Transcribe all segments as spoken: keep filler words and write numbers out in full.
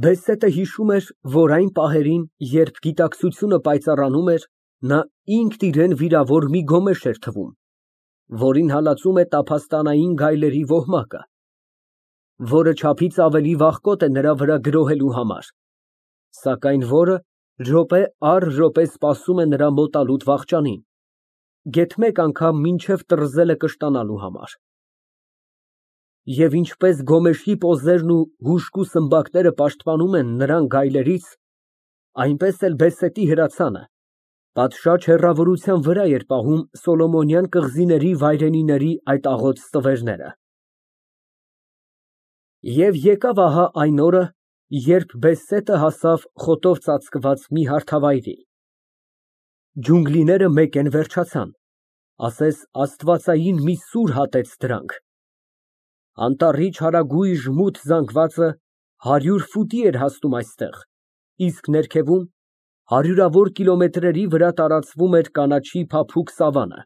Բեսետը հիշում էր, որ այն պահերին, երբ գիտակցությունը պայծառանում էր, նա ինքն իրեն վիրավոր մի գոմեշ էր թվում, որին հալածում է տափաստանային գայլերի ոհմակը, որը չափից ավելի վախկոտ է նրա վրա գրոհելու համար, սակայն որը րոպե առ րոպե սպասում է նրա մոտալուտ վախճանին, գեթ մեկ անգամ մինչև տռզելը կշտանալու համար։ Եվ ինչպես գոմեշի պոզերն ու հուժկու սմբակները պաշտպանում են նրան գայլերից, այնպես էլ բեսետի հրացանը պատշաճ հեռավորության վրա էր պահում Սոլոմոնյան կղզիների վայրենիների այդ աղոտ ստվերները։ Եվ եկավ ահա այն օրը, երբ Բեսետը հասավ խոտով ծածկված մի հարթավայրի։ Ջունգլիները մեկ են վերջացան, ասես աստվածային մի սուր հատեց դրանք։ Անտառի չարագույժ մութ զանգվածը հարյուր ֆուտի էր հասնում այստեղ, իսկ ներքևում հարյուրավոր կիլոմետրերի վրա տարածվում էր կանաչի փափուկ սավանը,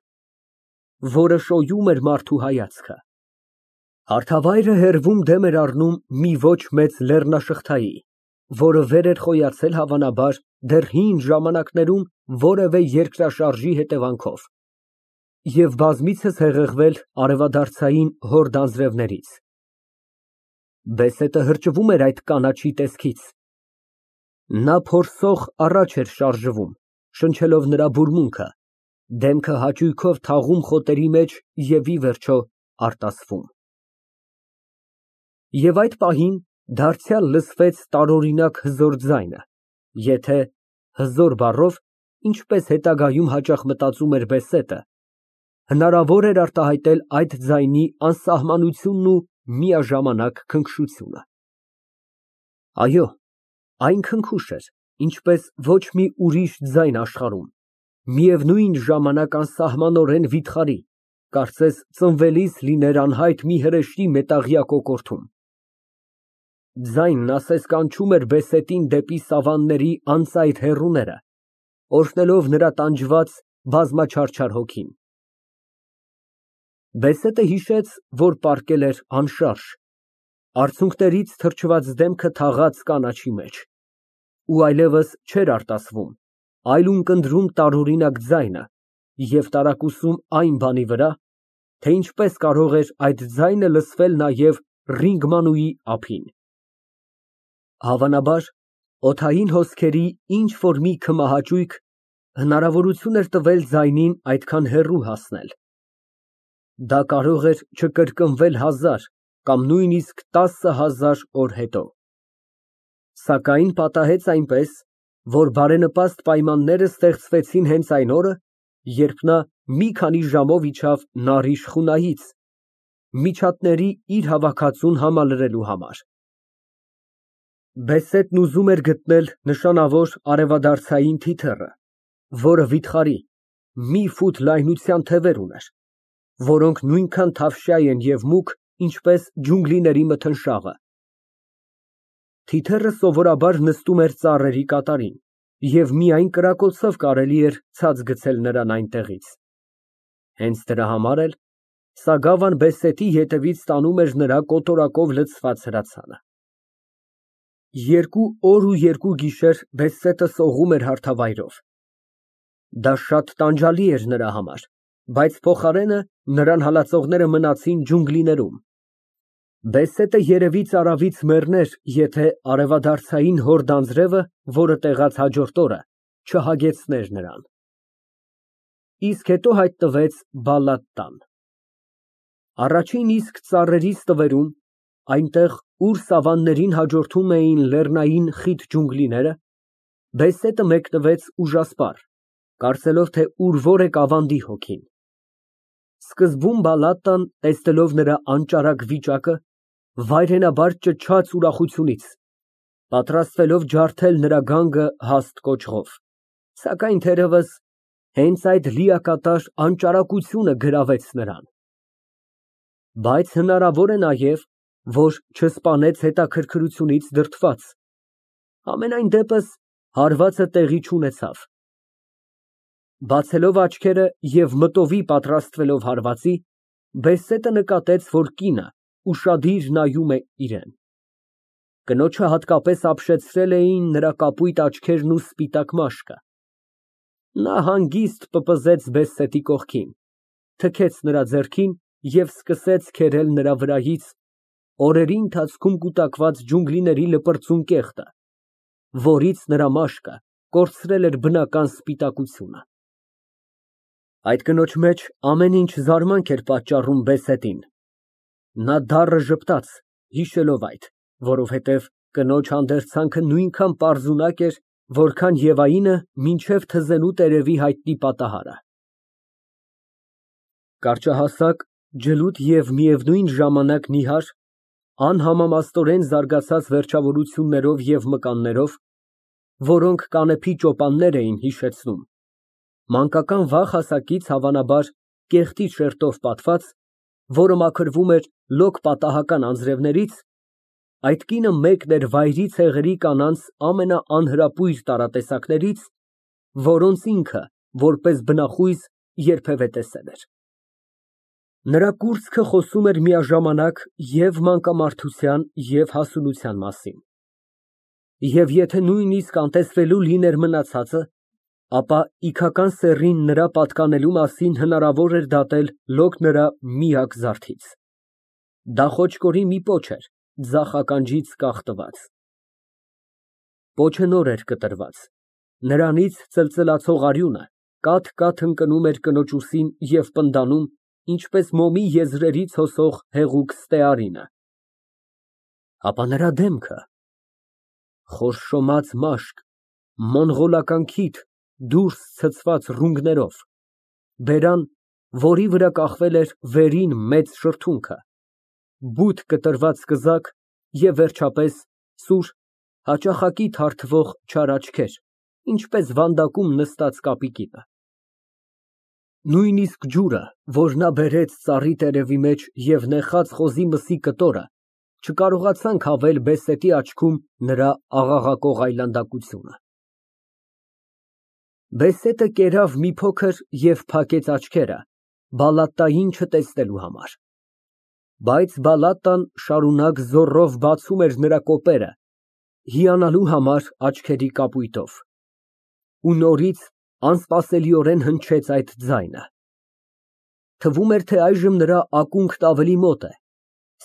որը շոյում էր մարդու հայացքը։ Հարթավայրը հեռվում դեմ էր առնում մի ոչ մեծ լեռնաշղթայի, որը վեր էր խոյացել հավանաբար դեռ հին ժամանակներում որևէ երկրաշարժի հետևանքով և բազմիցս հեղեղվել արևադարձային հորդ անձրևներից։ Բեսետը հրճվում էր այդ կանաչի տեսքից։ Նա փորձող առաջ էր շարժվում, շնչելով նրա բուրմունքը, դեմքը հաճույքով թաղում խոտերի մեջ և ի վերջո արտասվում։ Եվ այդ պահին դարձյալ լսվեց տարօրինակ հզոր ձայնը, եթե հզոր բառով, ինչպես հետագայում հաճախ մտածում էր Բեսետը, հնարավոր էր արտահայտել այդ ձայնի անսահմանությունն ու միաժամանակ քնքշությունը։ Այո, այն քնքուշ էր, ինչպես ոչ մի ուրիշ ձայն աշխարհում, միևնույն ժամանակ անսահմանորեն վիթխարի, կարծես ծնվելիս լիներ անհայտ մի հրեշտի մետաղյա կոկորդում։ Ձայնն ասես կանչում էր Բեսետին դեպի սավանների անծայր հեռուները, օրհնելով նրա տանջված բազմաչարչար հոգին։ Բեսետը հիշեց, որ պառկել էր անշարժ, արցունքներից թրջված դեմքը թաղած կանաչի մեջ, ու այլևս չէր արտասվում, այլ ունկնդրում տարօրինակ ձայնը և տարակուսում այն բանի վրա, թե ինչպես կարող էր այդ ձայնը լսվել նաև ռինգմանուի ափին։ Հավանաբար, օդային հոսքերի ինչ֊որ մի քմահաճույք հնարավորություն էր տվել ձայնին այդքան հեռու հասնել։ Դա կարող էր չկրկնվել հազար կամ նույնիսկ տասը հազար օր հետո։ Սակայն պատահեց այնպես, որ բարենպաստ պայմանները ստեղծվեցին հենց այն օրը, երբ նա մի քանի ժամով իջավ նարի շխունայից, միջատների իր հավաքածուն համալրելու համար։ Բեսետն ուզում էր գտնել նշանավոր արևադարձային թիթեռը, որը վիթխարի, մի ֆուտ լայնության թևեր ուներ, որոնք նույնքան թավշյա են և մուգ, ինչպես ջունգլիների մթնշաղը։ Թիթեռը սովորաբար նստում էր ծառերի կատարին, և միայն կրակոցով կարելի էր ցած գցել նրան այնտեղից։ Հենց դրա համար էլ սագավան Բեսետի ետևից տանում էր նրա կոտորակով լցված հրացանը։ Երկու օր ու երկու գիշեր Բեսետը սողում էր հարթավայրով։ Դա շատ տանջալի էր նրա համար, բայց փոխարենը նրան հալածողները մնացին ջունգլիներում։ Բեսետը երևից արավից մեռներ, եթե արևադարձային հորդ անձրևը, որը տեղաց հաջորդ օրը, չհագեցներ նրան։ Իսկ հետո հայտնվեց Բալատտան։ Առաջին իսկ ծառերի ստվերում, այնտեղ, ուր սավաններին հաջորդում էին լեռնային խիտ ջունգլիները, Բեսետը մեկնվեց ուժասպառ, կարծելով, թե ուրվոր է կավանդի հոգին։ Սկզբում Բալատտան, տեսնելով նրա անճարակ վիճակը, վայրենաբար ճչաց ուրախությունից, պատրաստվելով ջարդել նրա գանգը հաստ կոճղով, սակայն թերևս հենց այդ լիակատար անճարակությունը գրավեց նրան։ Բայց հնարավոր է նաև, որ չսպանեց հետաքրքրությունից դրդված, համենայն դեպս հարվածը տեղի չունեցավ։ Բացելով աչքերը և մտովի պատրաստվելով հարվածի, Բեսետը նկատեց, որ կինը ուշադիր նայում է իրան։ Կնոջը հատկապես ապշեցրել էին նրա կապույտ աչքերն ու սպիտակ մաշկը։ Նա հանգիստ պպզեց Բեստետի կողքին, թքեց նրա ձեռքին և սկսեց քերել նրա վրայից օրերի ընթացքում կուտակված ջունգլիների լպրծուն կեղտը, որից նրա մաշկը կորցրել էր բնական սպիտակությունը։ Այդ կնոջ մեջ ամեն ինչ զարմանք էր պատճառում Բեսետին։ Նա դառը ժպտաց, հիշելով այդ, որովհետև կնոջ հանդերձանքը նույնքան պարզունակ էր, որքան Եվայինը մինչև թզենու տերևի հայտնի պատահարը։ Կարճահասակ, ջլուդ և միևնույն ժամանակ նիհար, անհամամաստորեն զարգացած վերջավորություններով և մկաններով, որոնք կանեփի ճոպաններ էին հիշեցնում, մանկական վաղ հասակից, հավանաբար, կեղտի շերտով պատված, որը մաքրվում էր լոկ պատահական անձրևներից, այդ կինը մեկն էր վայրի ցեղերի կանանց ամենաանհրապույր տարատեսակներից, որոնց ինքը, որպես բնախույզ, երբևէ տեսել էր։ Նրա կուրծքը խոսում էր միաժամանակ և մանկամարդության, և հասունության մասին, և եթե նույնիսկ անտեսվելու լիներ մնացածը, ապա իգական սեռին նրա պատկանելու մասին հնարավոր էր դատել լոկ նրա միակ զարդից։ Դա խոճկորի մի պոչ էր, ձախ ականջից կախ տված։ Պոչը նոր էր կտրված, նրանից ծլծլացող արյունը կաթ֊կաթ ընկնում էր կնոջ ուսին և պնդանում, ինչպես մոմի եզրերից հոսող հեղուկ ստեարինը։ Ապա նրա դեմքը… խորշոմած մաշկ, մոնղոլական քիթ դուրս ցցված ռունգներով, բերան, որի վրա կախվել էր վերին մեծ շրթունքը, բութ կտրված սկզակ և, վերջապես, սուր, հաճախակի թարթվող չար աչքեր, ինչպես վանդակում նստած կապի կինը։ Նույնիսկ ջուրը, որ նա բերեց ծառի տերևի մեջ և նեխած խոզի մսի կտորը, չկարողացան քավել Բեսետի աչքում նրա աղաղակող այլանդակությունը։ Բեսետը կերավ մի փոքր և փակեց աչքերը Բալատտային չտեսնելու համար, բայց Բալատտան շարունակ զոռով բացում էր նրա կոպերը, հիանալու համար աչքերի կապույտով, ու նորից անսպասելիորեն հնչեց այդ ձայնը։ Թվում էր, թե այժմ նրա ակունքն ավելի մոտ է,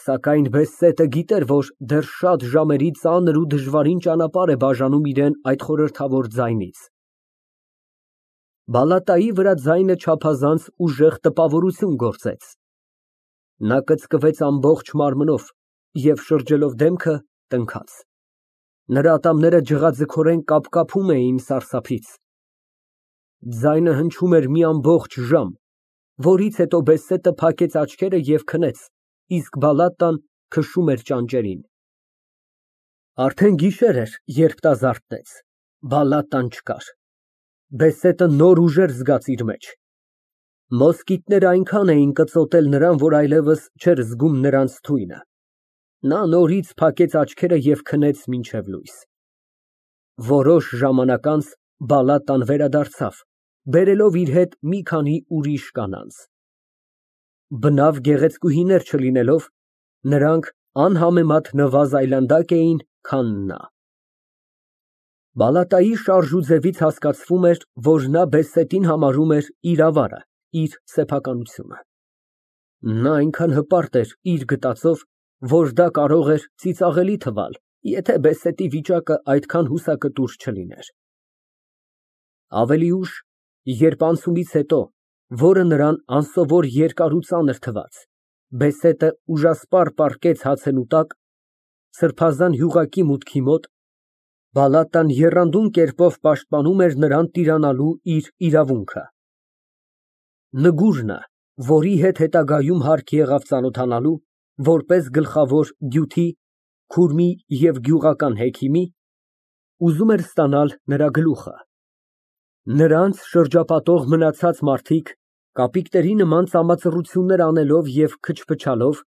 սակայն Բեսետը գիտեր, որ դեռ շատ ժամերի ծանր ու դժվարին ճանապարհ է բաժանում իրան այդ խորհրդավոր ձայնից։ Բալատտայի վրա ձայնը չափազանց ուժեղ տպավորություն գործեց։ Նա կծկվեց ամբողջ մարմնով և, շրջելով դեմքը, տնքաց։ Նրա ատամները ջղաձգորեն կապկապում էին սարսափից։ Ձայնը հնչում էր մի ամբողջ ժամ, որից հետո Բեսետը փակեց աչքերը և քնեց, իսկ Բալատտան քշում էր ճանճերին։ Արդեն գիշեր էր, երբ նա զարթնեց, Բալատտան չկար։ Բեսետը նոր ուժեր զգաց իր մեջ։ Մոսկիտները այնքան էին կծոտել նրան, որ այլևս չէր զգում նրանց թույնը։ Նա նորից փակեց աչքերը և քնեց մինչև լույս։ Որոշ ժամանակ անց Բալատտան վերադարձավ, բերելով իր հետ մի քանի ուրիշ կանանց։ Բնավ գեղեցկուհիներ չլինելով, նրանք անհամեմատ նվազ այլանդակ էին, քան նա։ Բալատտայի շարժուձևից հասկացվում էր, որ նա Բեսետին համարում էր իր ավարը, իր սեփականությունը։ Նա այնքան հպարտ էր իր գտածով, որ դա կարող էր ծիծաղելի թվալ, եթե Բեսետի վիճակը այդքան հուսակտուր չլիներ։ Ավելի ուշ, երբ անցումից հետո, որը նրան անսովոր երկար ու ծանր թվաց, Բեսետը ուժասպառ պառկեց հացենու տակ, սրբազան յուղակի մուտքի մոտ, Բալատտան եռանդուն կերպով պաշտպանում էր նրան տիրանալու իր իրավունքը։ Նգուրնը, որի հետ հետագայում հարկ եղավ ծանոթանալու, որպես գլխավոր դյութի, քուրմի և գյուղական հեքիմի, ուզում էր ստանալ նրա գլուխը։ Նրանց շրջապատող մնացած մարդիկ, կապիկների նման ծամածռություններ անելով և քչփչալով,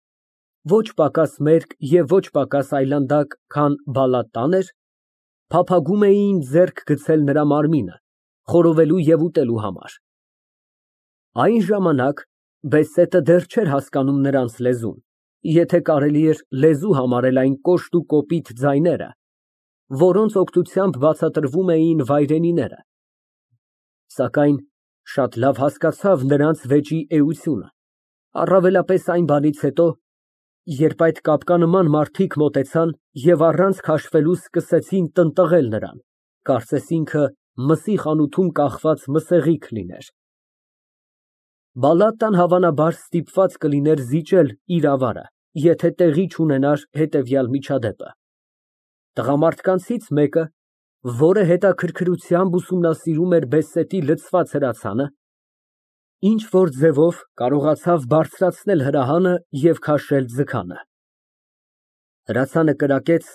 ոչ պակաս մերկ և ոչ պակաս այլանդակ, քան Բալատտան էր, փափագում էին ձեռք գցել նրա մարմինը, խորովելու և ուտելու համար։ Այն ժամանակ Բեսետը դեռ չէր հասկանում նրանց լեզուն եթե կարելի էր լեզու համարել այն կոշտ ու կոպիտ ձայները, որոնց օգնությամբ բացատրվում էին վայրենիները, սակայն շատ լավ հասկացավ նրանց վեճի էությունը, առավելապես այն բանից հետո, երբ այդ կապկանման մարդիկ մոտեցան և առանց քաշվելու սկսեցին տնտղել նրան, կարծես ինքը մսի խանութում կախված մսեղիկ լիներ։ Բալատան հավանաբար ստիպված կլիներ զիջել իր ավարը, եթե տեղի չունենար հետևյալ միջադեպը. Տղամարդկանցից մեկը, որը հետաքրքրությամբ ուսումնասիրում էր բեսետի լցված հրացանը, ինչ֊որ ձևով կարողացավ բարձրացնել հրահանը և քաշել ձգանը։ Հրացանը կրակեց,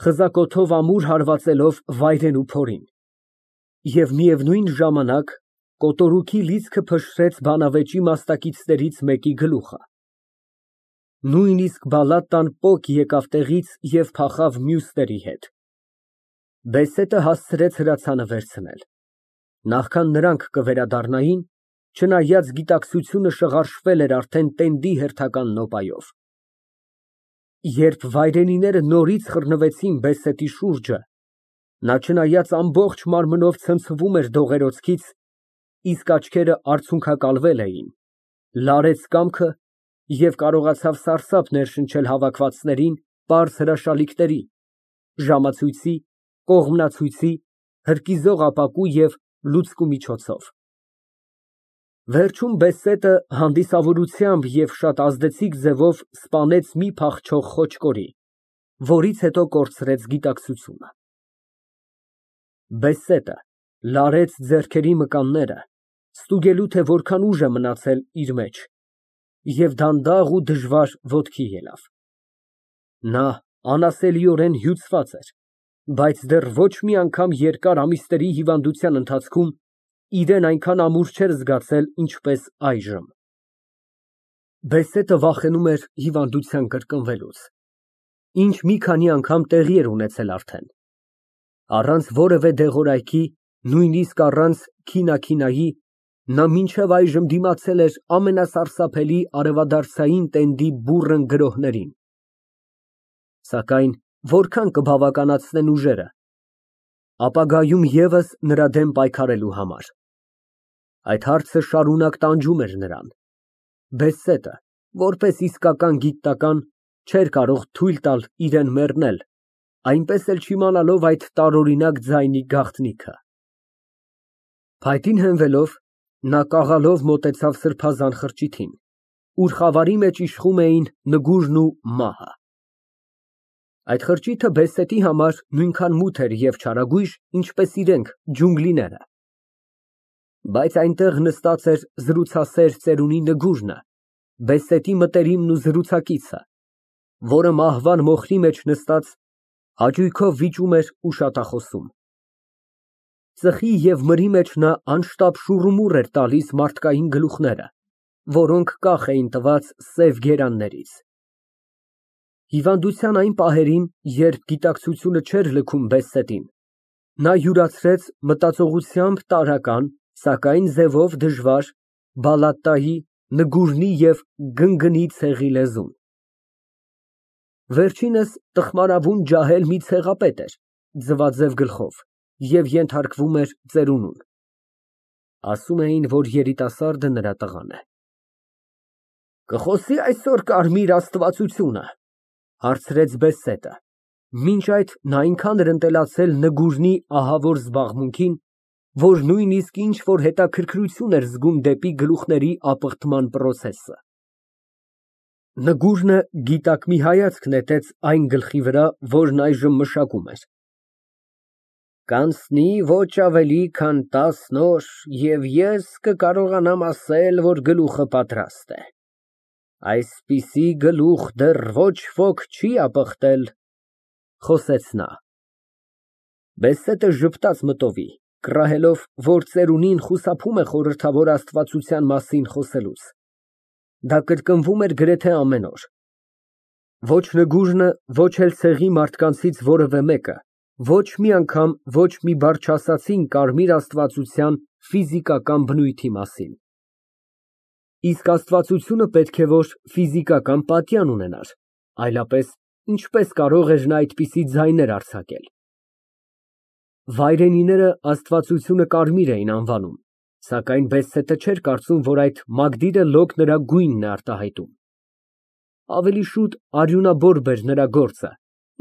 խզակոթով ամուր հարվածելով վայրենու փորին, և միևնույն ժամանակ կոտորուքի լիցքը փշրեց բանավեճի մասնակիցներից մեկի գլուխը։ Նույնիսկ Բալատան պոկ եկավ տեղից և փախավ մյուսների հետ։ Բեսետը հասցրեց հրացանը վերցնել։ Նախքան նրանք կվերադառնային, չնայած գիտակցությունը շղարշվել էր արդեն տենդի հերթական նոպայով։ Երբ վայրենիները նորից խռնվեցին բեսետի շուրջը, նա չնայած ամբողջ մարմնով ցնցվում էր դողերոցքից, իսկ աչքերը արցունքակալվել էին, լարեց կամքը և կարողացավ սարսափ ներշնչել հավաքվածներին պարզ հրաշալիքների, ժամացույցի, կողմնացույցի, հրկիզող ապակու և լուցկու միջոցով։ Վերջում բեսետը հանդիսավորությամբ և շատ ազդեցիկ ձևով սպանեց մի փախչող խոչկորի, որից հետո կորցրեց գիտակցությունը։ Բեսետը լարեց ձեռքերի մկանները, ստուգելու, թե որքան ուժ է մնացել իր մեջ, և դանդաղ ու դժվար ոտքի ելավ։ Նա անասելիորեն հյուծված էր, բայց դեռ ոչ մի անգամ երկար ամիսների հիվանդության ընթացքում իրեն այնքան ամուր չէր զգացել, ինչպես այժմ։ Բեսետը վախենում էր հիվանդության կրկնվելուց, ինչ մի քանի անգամ տեղի էր ունեցել արդեն։ Առանց որևէ դեղորայքի, նույնիսկ առանց քինաքինայի, նա մինչև այժմ դիմացել էր ամենասարսափելի արևադարձային տենդի բուռն գրոհներին։ Սակայն որքան կբավականացնեն ուժերը ապագայում ևս նրա դեմ պայքարելու համար։ Այդ հարցը շարունակ տանջում էր նրան։ Բեսետը, որպես իսկական գիտնական, չէր կարող թույլ տալ իրան մեռնել, այնպես էլ չիմանալով այդ տարօրինակ ձայնի գաղտնիքը։ Փայտին հենվելով, նա կաղալով մոտեցավ սրբազան խրճիթին, ուր խավարի մեջ իշխում էին նգուժն ու մահը։ Այդ խրճիթը բեսետի համար նույնքան մութ էր և չարագույժ, ինչպես իրենք, ջունգլիները։ Բայց այնտեղ նստած էր զրուցասեր ծերունի Նգուժնը, բեսետի մտերիմն ու զրուցակիցը, որը մահվան մոխրի մեջ նստած հաճույքով վիճում էր ու շատախոսում։ Ծխի և մրի մեջ նա անշտապ շուռումուռ էր տալիս մարդկային գլուխները, որոնք կախ էին տված սև գերաններից։ Հիվանդության այն պահերին, երբ գիտակցությունը չէր լքում բեսետին, նա յուրացրեց մտածողությամբ տարրական, սակայն ձևով դժվար Բալատայի, Նգուժնի և գնգնի ցեղի լեզուն։ Վերջինս տխմարավուն ջահել մի ցեղապետ էր, ձվաձև գլխով, և ենթարկվում էր ծերունուն։ Ասում էին, որ երիտասարդը նրա տղան է։ «Կխոսի՞ այսօր կարմիր աստվածությունը», ֊ հարցրեց բեսետը։ Մինչ այդ նա այնքան էր ընտելացել Նգուժնի ահավոր զբաղմունքին, որ նույնիսկ ինչ֊որ հետաքրքրություն էր զգում դեպի գլուխների ապխտման պրոցեսը։ Նգուժնը գիտակ մի հայացք նետեց այն գլխի վրա, որն այժմ մշակում էր։ «Կանցնի ոչ ավելի քան տասն օր, և ես կկարողանամ ասել, որ գլուխը պատրաստ է։ Այսպիսի գլուխ դեռ ոչ ոք չի ապխտել», ֊ խոսեց նա։ Բեսետը ժպտաց մտովի, կռահելով, որ ծերունին խուսափում է խորհրդավոր աստվածության մասին խոսելուց։ Դա կրկնվում էր գրեթե ամեն օր։ Ոչ Նգուժնը, ոչ էլ ցեղի մարդկանցից որևէ մեկը ոչ մի անգամ ոչ մի բառ չասացին կարմիր աստվածության ֆիզիկական բնույթի մասին։ Իսկ աստվածությունը պետք է որ ֆիզիկական պատյան ունենար, այլապես ինչպես կարող էր նա այդպիսի ձայներ արձակել։ Վայրենիները աստվածությունը կարմիր էին անվանում, սակայն Բեսսետը չէր կարծում, որ այդ մագդիրը լոկ նրա գույնն է արտահայտում։ Ավելի շուտ արյունաբոր բեր նրա գործը,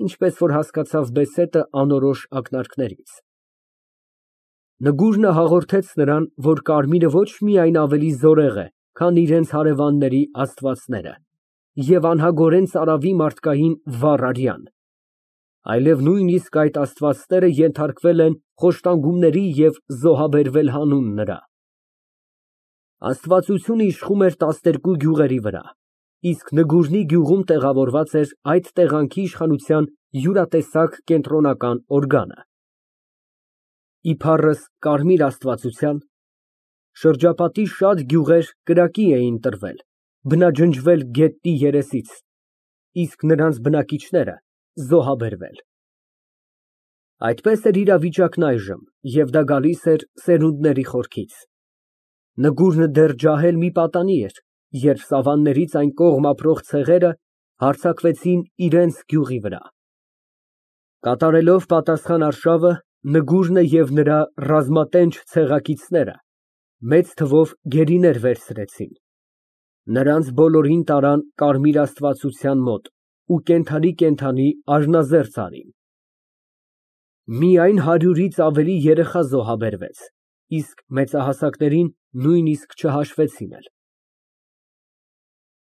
ինչպես որ հասկացավ Բեսետը անորոշ ակնարկներից։ Նգուրը հաղորդեց նրան, որ կարմիրը ոչ միայն ավելի զորեղ է, քան իրենց հարևանների աստվածները և անհագորեն ծարավի մարդկային վառ արյան, այլև նույնիսկ այդ աստվածները ենթարկվել են խոշտանգումների և զոհաբերվել հանուն նրա։ Աստվածությունը իշխում էր տասներկու գյուղերի վրա, իսկ Նգուրնի գյուղում տեղավորված էր այդ տեղանքի իշխանության յուրատեսակ կենտրոնական օրգանը։ Իբառս կարմիր աստվածության, շրջապատի շատ գյուղեր կրակի էին տրվել, բնաջնջվել գետնի երեսից, իսկ նրանց բնակիչները զոհաբերվել։ Այդպես էր իրավիճակն այժմ, և դա գալիս էր սերունդների խորքից։ Նգուրը դեռ ջահել մի պատանի էր, երբ սավաններից այն կողմ ապրող ցեղերը հարձակվեցին իրենց գյուղի վրա։ Կատարելով պատասխան արշավը, Նգուրը և նրա ռազմատենչ ցեղակիցները մեծ թվով գերիներ վերցրեցին։ Նրանց բոլորին տարան կարմիր աստվածության մոտ ու կենդանի֊կենդանի արյունազերծ արին։ Միայն հարյուրից ավելի երեխա զոհաբերվեց, իսկ մեծահասակներին նույնիսկ չհաշվեցին էլ։